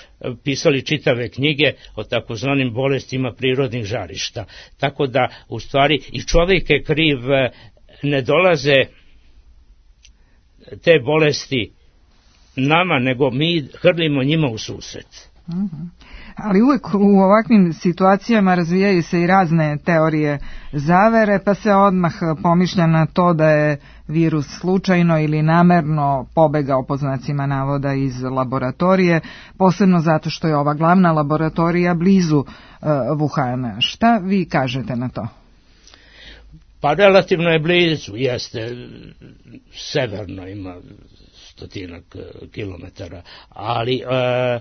pisali čitave knjige o takozvanim bolestima prirodnih žarišta. Tako da, u stvari, i čovjek je kriv, ne dolaze te bolesti nama, nego mi hrlimo njima u susret. Mm-hmm. Ali uvijek u ovakvim situacijama razvijaju se i razne teorije zavere, pa se odmah pomišlja na to da je virus slučajno ili namerno pobegao po znacima navoda iz laboratorije, posebno zato što je ova glavna laboratorija blizu uh, Wuhana. Šta vi kažete na to? Pa relativno je blizu, jeste, severno ima stotinak kilometara, ali e,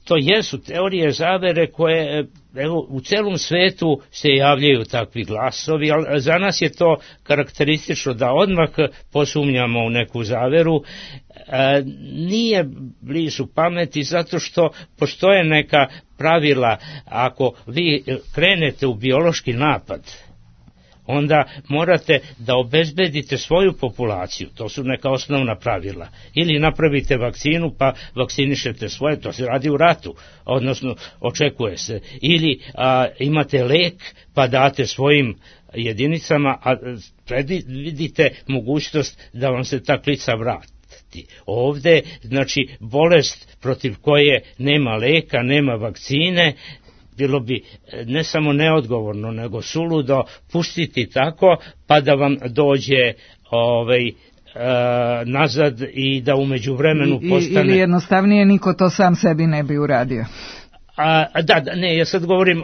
to jesu teorije zavere koje, evo, u celom svetu se javljaju takvi glasovi, ali za nas je to karakteristično da odmah posumnjamo u neku zaveru. E, nije blizu pameti zato što postoje neka pravila. Ako vi krenete u biološki napad, onda morate da obezbedite svoju populaciju, to su neka osnovna pravila. Ili napravite vakcinu pa vakcinišete svoje, to se radi u ratu, odnosno očekuje se. Ili a, imate lek pa date svojim jedinicama, a predvidite mogućnost da vam se ta klica vrati. Ovde, znači, bolest protiv koje nema leka, nema vakcine, bilo bi ne samo neodgovorno, nego suludo pustiti tako, pa da vam dođe ovaj, e, nazad i da u međuvremenu postane... Ili jednostavnije, niko to sam sebi ne bi uradio. A, da, da, ne, ja sad govorim,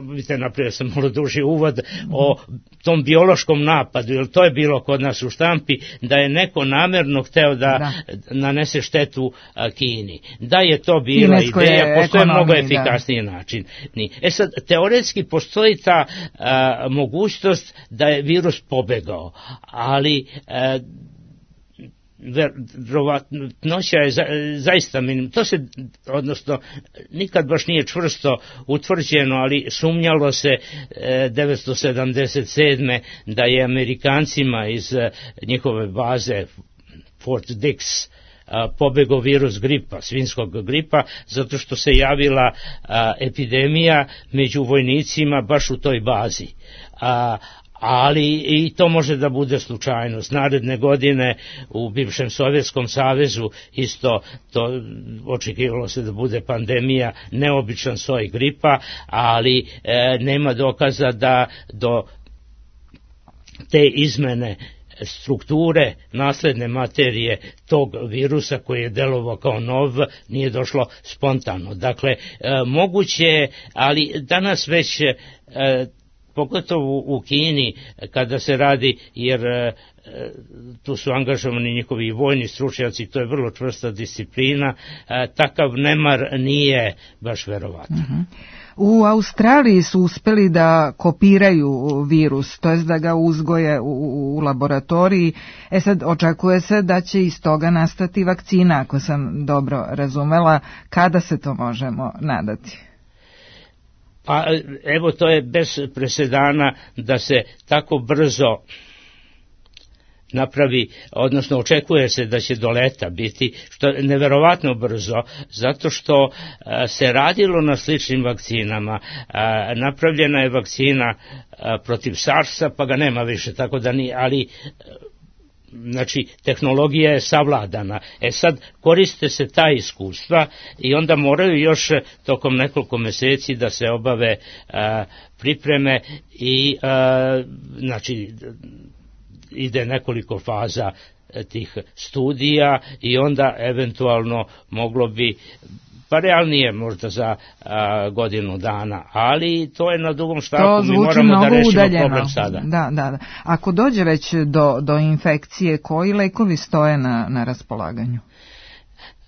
vidite, naprijed sam malo duži uvod, o tom biološkom napadu, jer to je bilo kod nas u štampi, da je neko namerno hteo da, da. nanese štetu a, Kini. Da je to bila Kineskoj ideja, postoje mnogo efikasniji da. način. E sad, teoretski postoji ta a, mogućnost da je virus pobegao, ali... A, verovatnoća je za, zaista minim. To se, odnosno, nikad baš nije čvrsto utvrđeno, ali sumnjalo se e, devetsto sedamdeset sedme da je Amerikancima iz e, njihove baze Fort Dix a, pobegao virus gripa, svinjskog gripa, zato što se javila a, epidemija među vojnicima baš u toj bazi. A, ali i to može da bude slučajnost. Naredne godine u bivšem Sovjetskom savezu isto to očekivalo se da bude pandemija, neobičan soj gripa, ali e, nema dokaza da do te izmene strukture nasledne materije tog virusa koji je delovao kao nov nije došlo spontano. Dakle, e, moguće je, ali danas već e, pogotovo u Kini kada se radi, jer e, tu su angažovani njihovi vojni stručnjaci, to je vrlo čvrsta disciplina, e, takav nemar nije baš verovatan. Uh-huh. U Australiji su uspeli da kopiraju virus, to jest da ga uzgoje u, u laboratoriji. E sad, očekuje se da će iz toga nastati vakcina, ako sam dobro razumela. Kada se to možemo nadati? Pa evo, to je bez presedana da se tako brzo napravi, odnosno očekuje se da će do leta biti, što je neverovatno brzo, zato što a, se radilo na sličnim vakcinama. A, napravljena je vakcina a, protiv SARS-a, pa ga nema više, tako da ni, ali... Znači, tehnologija je savladana. E sad, koriste se ta iskustva i onda moraju još tokom nekoliko meseci da se obave a, pripreme i, a, znači, ide nekoliko faza tih studija i onda eventualno moglo bi, pa realnije možda za a, godinu dana, ali to je na dugom štapu, mi moramo da rešimo udaljeno. Problem sada. Da, da, da. Ako dođe već do, do infekcije, koji lekovi stoje na, na raspolaganju?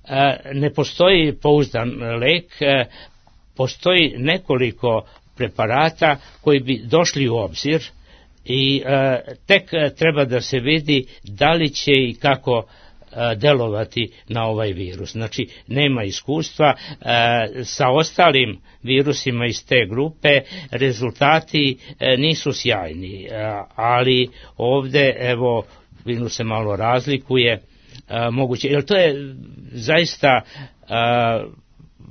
A, ne postoji pouzdan lek, a, postoji nekoliko preparata koji bi došli u obzir i a, tek treba da se vidi da li će i kako delovati na ovaj virus. Znači, nema iskustva. E, sa ostalim virusima iz te grupe rezultati e, nisu sjajni, e, ali ovde, evo, virus se malo razlikuje, e, moguće, jer to je zaista e,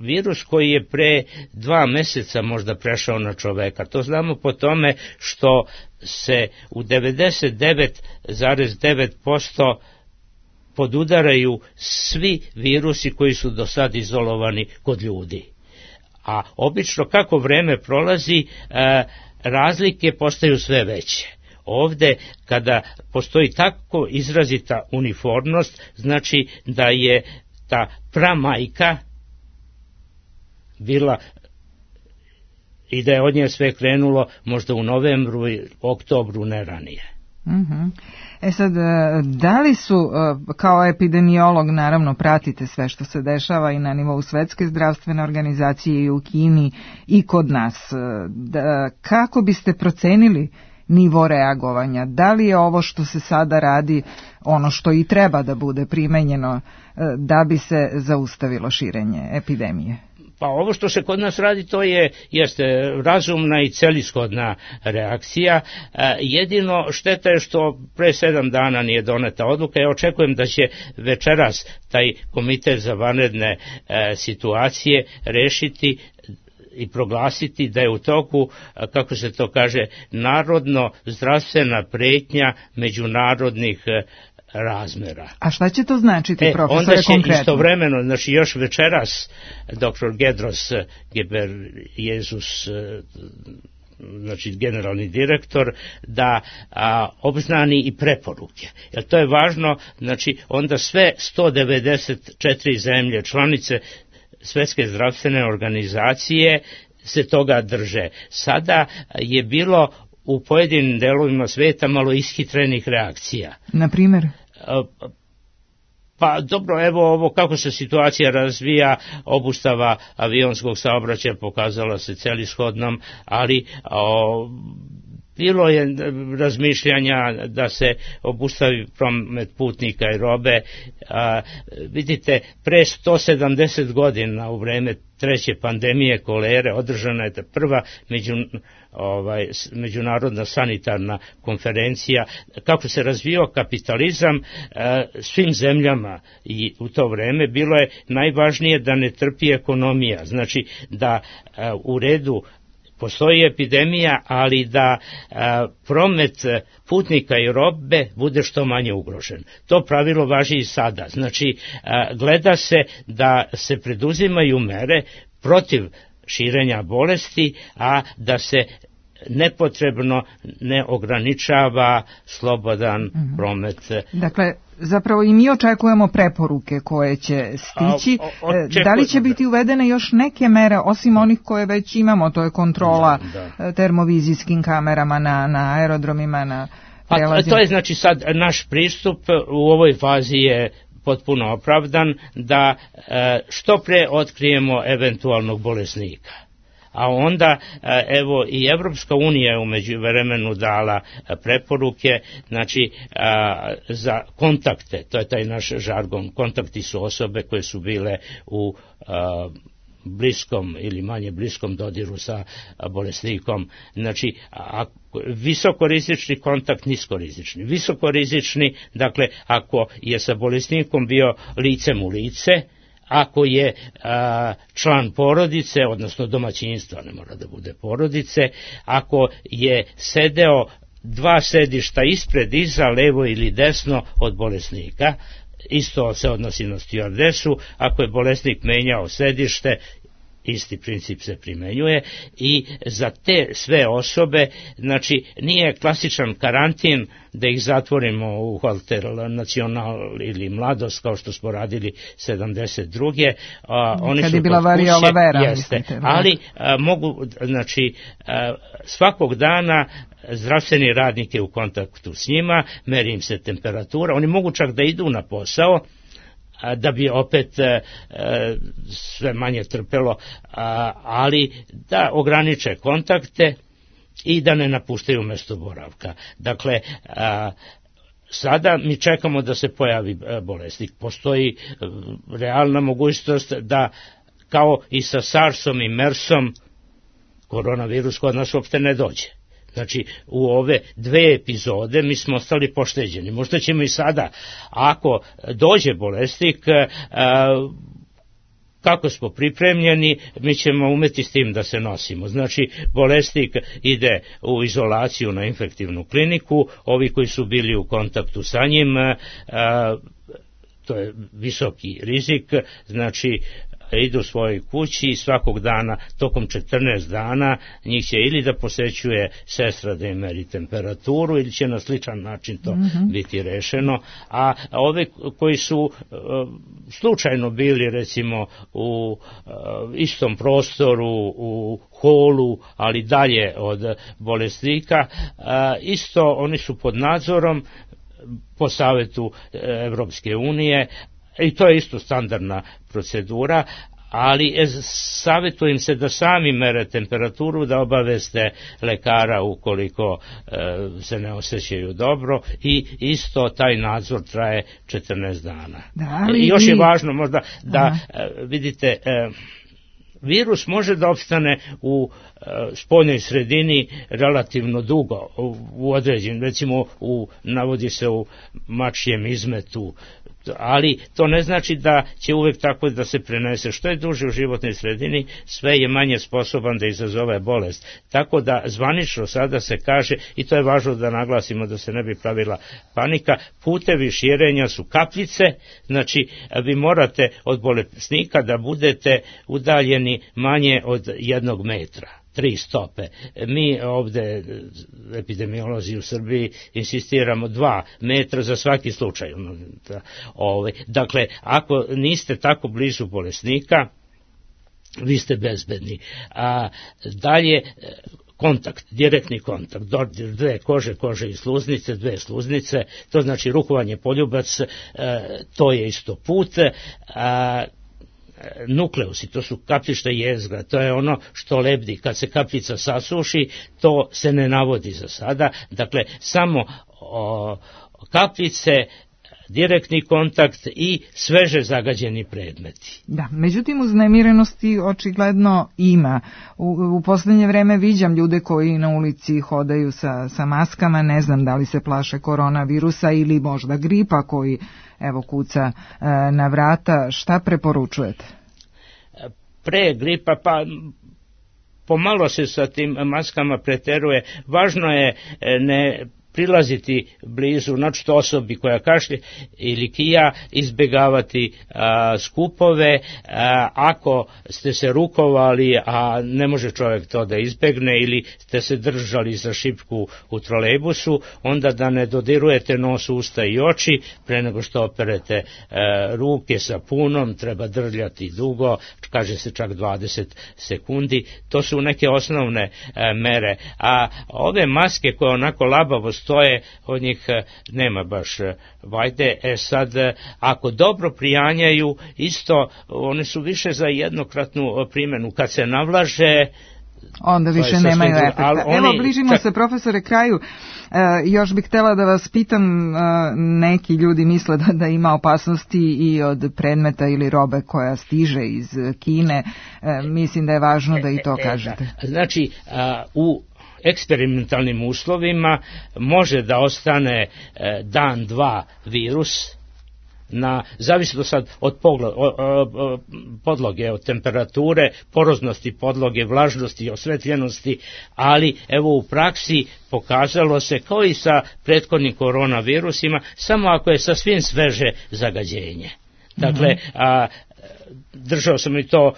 virus koji je pre dva meseca možda prešao na čoveka. To znamo po tome što se u devedeset devet zarez devet posto podudaraju svi virusi koji su do sad izolovani kod ljudi. A obično kako vreme prolazi, e, razlike postaju sve veće. Ovde, kada postoji tako izrazita uniformnost, znači da je ta pramajka bila i da je od nje sve krenulo možda u novembru i oktobru, ne ranije. Mm-hmm. E sad, da li su, kao epidemiolog naravno pratite sve što se dešava i na nivou Svetske zdravstvene organizacije i u Kini i kod nas, da, kako biste procenili nivo reagovanja? Da li je ovo što se sada radi ono što i treba da bude primenjeno da bi se zaustavilo širenje epidemije? Pa ovo što se kod nas radi, to je jeste razumna i celishodna reakcija. E, jedino šteta je što pre sedam dana nije doneta odluka. Ja očekujem da će večeras taj komitet za vanredne e, situacije rešiti i proglasiti da je u toku, kako se to kaže, narodno zdravstvena pretnja međunarodnih razmera. A šta će to značiti, e, profesore, onda će konkretno? Istovremeno, znači još večeras doktor Gedros Ghebreyesus, znači generalni direktor, da a, obznani i preporuke. Jer to je važno, znači onda sve sto devedeset četiri zemlje članice Svetske zdravstvene organizacije se toga drže. Sada je bilo u pojedinim delovima sveta malo ishitrenih reakcija. Na primjer? Pa dobro, evo ovo kako se situacija razvija, obustava avionskog saobraćaja pokazala se celishodnom, ali o, bilo je razmišljanja da se obustavi promet putnika i robe. A, vidite, pre sto sedamdeset godina u vreme treće pandemije kolere održana je prva među, ovaj, međunarodna sanitarna konferencija. Kako se razvio kapitalizam a, svim zemljama i u to vreme bilo je najvažnije da ne trpi ekonomija, znači da a, u redu postoji epidemija, ali da a, promet putnika i robe bude što manje ugrožen. To pravilo važi i sada. Znači, a, gleda se da se preduzimaju mere protiv širenja bolesti, a da se nepotrebno ne ograničava slobodan mm-hmm. promet. Dakle, zapravo i mi očekujemo preporuke koje će stići. A, o, očekujem, da li će biti uvedene još neke mere, osim onih koje već imamo, to je kontrola da, da. termovizijskim kamerama na, na aerodromima, na prelazima? A to je znači sad naš pristup u ovoj fazi je potpuno opravdan da što pre otkrijemo eventualnog bolesnika. A onda, evo, i Evropska unija je u međuvremenu dala preporuke, znači, za kontakte, to je taj naš žargon, kontakti su osobe koje su bile u bliskom ili manje bliskom dodiru sa bolesnikom, znači, visokorizični kontakt, niskorizični. Visokorizični, dakle, ako je sa bolesnikom bio licem u lice, ako je a, član porodice, odnosno domaćinstva, ne mora da bude porodice, ako je sedeo dva sedišta ispred, iza, levo ili desno od bolesnika, isto se odnosi na stjuardesu, ako je bolesnik menjao sedište, isti princip se primenjuje i za te sve osobe, znači nije klasičan karantin da ih zatvorimo u Hotel Nacional ili Mladost kao što smo radili sedamdeset druge. A, oni kad su je bila variola vera. Jeste, mislite, ali a, mogu, znači a, svakog dana zdravstveni radnik je u kontaktu s njima, meri im se temperatura, oni mogu čak da idu na posao, da bi opet e, sve manje trpelo, a, ali da ograniče kontakte i da ne napuštaju mesto boravka. Dakle, a, sada mi čekamo da se pojavi bolesnik. Postoji realna mogućnost da kao i sa SARS-om i MERS-om koronavirus kod nas uopšte ne dođe. Znači, u ove dve epizode mi smo ostali pošteđeni. Možda ćemo i sada, ako dođe bolesnik, kako smo pripremljeni, mi ćemo umeti s tim da se nosimo. Znači, bolesnik ide u izolaciju na infektivnu kliniku, ovi koji su bili u kontaktu sa njim, to je visoki rizik, znači, idu svojoj kući i svakog dana, tokom četrnaest dana, njih će ili da posećuje sestra da im meri temperaturu ili će na sličan način to mm-hmm. biti rešeno, a ove koji su uh, slučajno bili recimo u uh, istom prostoru, u holu, ali dalje od bolesnika, uh, isto oni su pod nadzorom po savetu Evropske unije i to je isto standardna procedura, ali savjetujem se da sami mere temperaturu, da obaveste lekara ukoliko e, se ne osjećaju dobro i isto taj nadzor traje četrnaest dana. Da, ali I još i... je važno možda da e, vidite... E, virus može da opstane u e, spoljnoj sredini relativno dugo, u, u određen, recimo u, navodi se u mačijem izmetu, ali to ne znači da će uvek tako da se prenese. Što je duže u životnoj sredini, sve je manje sposoban da izazove bolest. Tako da zvanično sada se kaže, i to je važno da naglasimo da se ne bi pravila panika, putevi širenja su kapljice, znači vi morate od bolesnika da budete udaljeni manje od jednog metra. Tri stope. Mi ovde, epidemiolozi u Srbiji, insistiramo dva metra za svaki slučaj. Dakle, ako niste tako blizu bolesnika, vi ste bezbedni. A dalje, kontakt, direktni kontakt, dodir dve kože, kože i sluznice, dve sluznice, to znači rukovanje poljubac, to je isto put, a nukleusi, to su kapljišta jezgra, to je ono što lebdi. Kad se kapljica sasuši, to se ne navodi za sada. Dakle, samo o, kapljice, direktni kontakt i sveže zagađeni predmeti. Da, međutim uznemirenosti očigledno ima. U, u poslednje vreme viđam ljude koji na ulici hodaju sa, sa maskama, ne znam da li se plaše koronavirusa ili možda gripa koji evo kuca e, na vrata. Šta preporučujete? Pre gripa pa pomalo se sa tim maskama preteruje. Važno je ne prilaziti blizu, naročito osobi koja kašlje ili kija, izbjegavati a, skupove, a, ako ste se rukovali, a ne može čovjek to da izbegne, ili ste se držali za šipku u trolejbusu, onda da ne dodirujete nos, usta i oči, pre nego što operete a, ruke sapunom, treba drljati dugo, kaže se čak dvadeset sekundi, to su neke osnovne a, mere, a ove maske koje onako labavo stoje, od njih nema baš vajde. E sad, ako dobro prijanjaju, isto, one su više za jednokratnu primjenu. Kad se navlaže, onda više nemaju efekta. Oni, Evo, bližimo čak... se, profesore, kraju. E, još bih htjela da vas pitam, e, neki ljudi misle da, da ima opasnosti i od predmeta ili robe koja stiže iz Kine. E, mislim da je važno da i to kažete. Znači, a, u eksperimentalnim uslovima može da ostane e, dan, dva virus, na, zavisno sad od pogla, o, o, o, podloge, od temperature, poroznosti podloge, vlažnosti i osvetljenosti, ali evo u praksi pokazalo se kao i sa prethodnim koronavirusima, samo ako je sasvim sveže zagađenje. Dakle, mm-hmm. a, držao sam i to,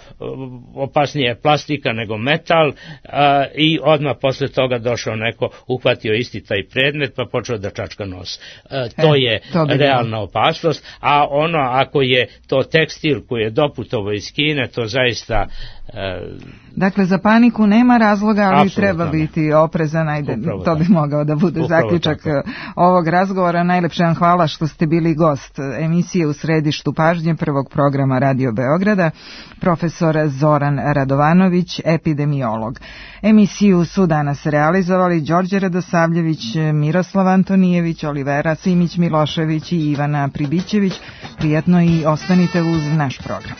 opasnije plastika nego metal, a, i odmah posle toga došao neko, uhvatio isti taj predmet pa počeo da čačka nos. A, to e, je to realna opasnost, a ono ako je to tekstil koji je doputovo iz Kine, to zaista... A, dakle, za paniku nema razloga, ali treba biti oprezan, ajde, upravo to bi tako. Mogao da bude upravo zaključak tako. Ovog razgovora. Najlepše vam hvala što ste bili gost emisije U središtu pažnje prvog programa Radio Beograda, profesor Zoran Radovanović, epidemiolog. Emisiju su danas realizovali Đorđe Radosavljević, Miroslav Antonijević, Olivera Simić Milošević i Ivana Pribićević. Prijetno i ostanite uz naš program.